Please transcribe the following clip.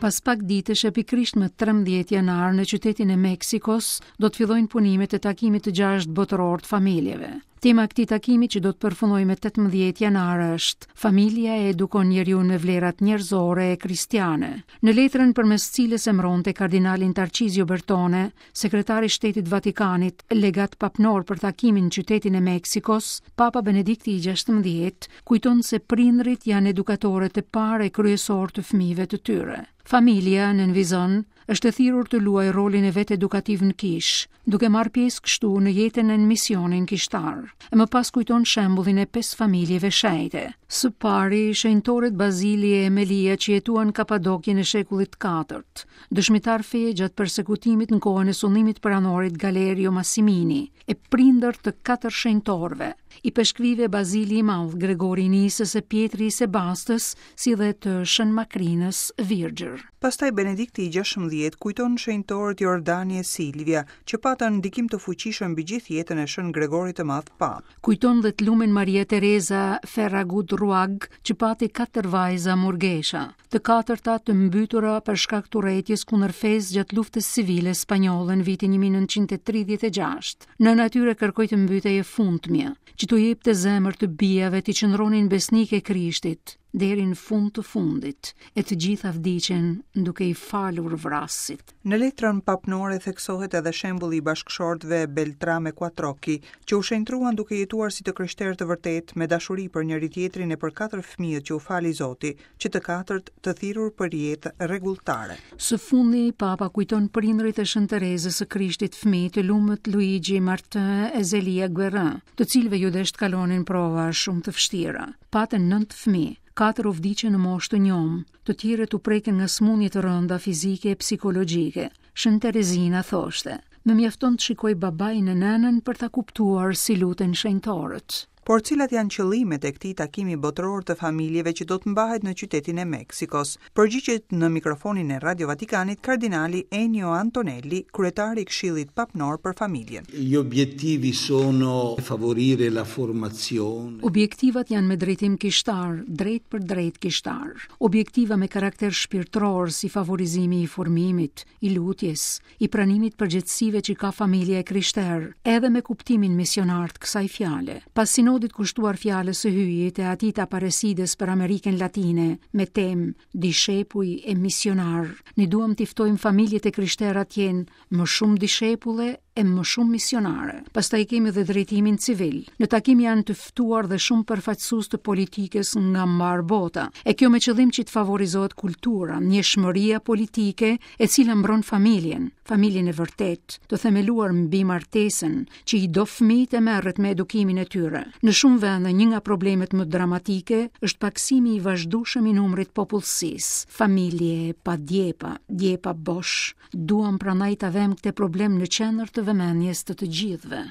Pas pak ditësh e pikërisht më 13 janar në qytetin e Meksikos do të fillojnë punimet e takimit të gjashtë botëror të familjeve. Tema e këtij takimi që do të përfundojë më 18 janar është Familja e edukon njeriun me vlerat njerëzore e kristiane. Në letrën përmes cilës emëronte kardinalin Tarcizio Bertone, sekretar i Shtetit Vatikanit, legat papnor për takimin në qytetin e Meksikos, Papa Benedikti i 16 kujton se prindërit janë edukatorët e parë e kryesorë të fëmijëve të tyre. Familja, nënvizon, është e thirrur të luajë rolin e vet edukativ në kishë, duke marrë pjesë kështu në jetën e në misionin kishtar. E më pas kujton shembullin e pesë familjeve shenjte. Së pari, shenjtorët Bazili e Emelia që jetuan në Kapadokjen e shekullit të katërt, dëshmitarë feje gjatë persekutimit në kohën e sundimit të peranorit Galerio Massimini, e prindër të katër shenjtorëve, ipeshkvijve Bazili i Madh, Gregori i Nisës e Pjetri i Sebastës, si dhe të Shën Makrinës Virgjër. Pastaj Benedikti i 16 kujton shenjtorët Jordani e Silvia, që patën ndikim të fuqishëm mbi gjithë jetën e Shën Gregorit të Madh Papë. Kujton dhe të lumen Maria Teresa Ferragut Ruag, që pati katër vajza murgesha, të katërta të mbytura për shkak të urrejtjes kundër fesë gjatë luftës civile spanjolle në vitin 1936. Nëna e tyre kërkoi të mbytej e fundmja, që t'u jepte zemër të bijave t'i qëndronin besnike Krishtit deri në fund të fundit, e të gjitha vdiqën duke i falur vrasësit. Në letrën papnore theksohet edhe shembulli i bashkëshortëve Beltrame Quattrocchi, që u shenjtruan duke jetuar si të krishterë të vërtetë me dashuri për njëri-tjetrin e për katër fëmijët që u fali Zoti, që të katërt të thirrur për jetë rregulltare. Së fundi, Papa kujton prindërit e Shën Terezës së Krishtit fëmijë të lumët Luigi Martin e Zelia Guerin, të cilëve iu desh të kalonin prova shumë të vështira. Patën nëntë fëmijë, katër u vdiqën në moshë të njomë, të tjerët u prekën nga sëmundje të rënda fizike e psikologjike. Shën Terezina thoshte: Më mjafton të shikoj babain e nënën për ta kuptuar si luten shenjtorët. Por cilat janë qëllimet e këtij takimi botëror të familjeve që do të mbahet në qytetin e Meksikos? Përgjigjet në mikrofonin e Radio Vatikanit kardinali Ennio Antonelli, kryetar i Këshillit Papnor për Familjen. Gli obiettivi sono favorire la formazione. Objektivat janë me drejtim kishtar, drejtpërdrejt kishtar. Objektiva me karakter shpirtëror si favorizimi i formimit, i lutjes, i pranimit përgjegjësive që ka familja e krishterë, edhe me kuptimin misionar të kësaj fjale. Pas sinodit kushtuar fjalës së Hyjit e atij të Aparesides për Amerikën Latine, me temë Dishepuj e misionarë, ne duam t'i ftojmë familjet e krishtera të jenë më shumë dishepulle e më shumë misionare. Pastaj kemi dhe drejtimin civil. Në takim janë të ftuar dhe shumë përfaqësues të politikës nga mbarë bota. E kjo me qëllim që të favorizohet kultura, ndjeshmëria politike e cila mbron familjen, familjen e vërtetë, të themeluar mbi martesën, që i do fëmijët e merret me edukimin e tyre. Në shumë vende, një nga problemet më dramatike është pakësimi i vazhdueshëm i numrit të popullsisë. Familje pa djepa, djepa bosh. Duam prandaj ta vëmë këtë problem në qendër të vëmendjes të të gjithëve.